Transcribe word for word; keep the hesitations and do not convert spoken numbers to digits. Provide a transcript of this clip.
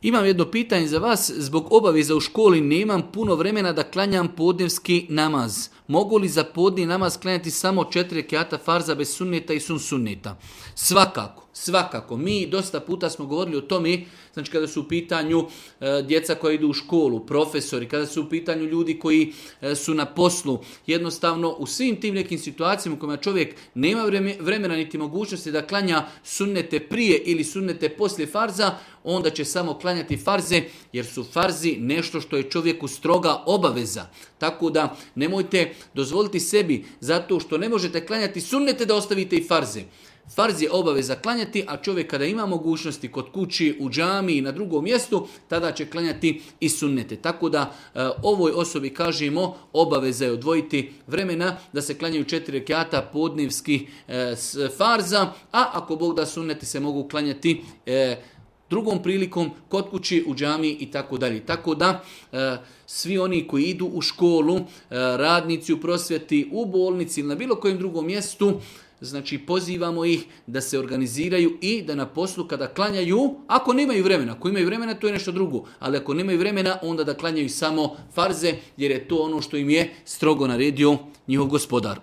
Imam jedno pitanje za vas. Zbog obaveza u školi nemam puno vremena da klanjam podnevski namaz. Mogu li za podni namaz klanjati samo četiri rekjata farza bez sunneta i sun sunneta? Svakako, svakako. Mi dosta puta smo govorili o tome, znači kada su u pitanju e, djeca koja idu u školu, profesori, kada su u pitanju ljudi koji e, su na poslu, jednostavno u svim tim nekim situacijama u kojima čovjek nema vremena niti mogućnosti da klanja sunnete prije ili sunnete poslije farza, onda će samo klanjati farze, jer su farzi nešto što je čovjeku stroga obaveza. Tako da nemojte dozvoliti sebi, zato što ne možete klanjati sunnete, da ostavite i farze. Farz je obaveza klanjati, a čovjek kada ima mogućnosti kod kući, u džami i na drugom mjestu, tada će klanjati i sunnete. Tako da e, ovoj osobi kažemo, obaveza je odvojiti vremena da se klanjaju četiri rekjata podnevskih e, farza, a ako Bog da, sunneti se mogu klanjati e, drugom prilikom kod kući, u džami i tako dalje. Tako da e, svi oni koji idu u školu, e, radnici u prosvjeti, u bolnici ili na bilo kojem drugom mjestu, znači pozivamo ih da se organiziraju i da na poslu kada klanjaju, ako nemaju vremena, ako imaju vremena to je nešto drugo, ali ako nemaju vremena onda da klanjaju samo farze, jer je to ono što im je strogo naredio njihov gospodar.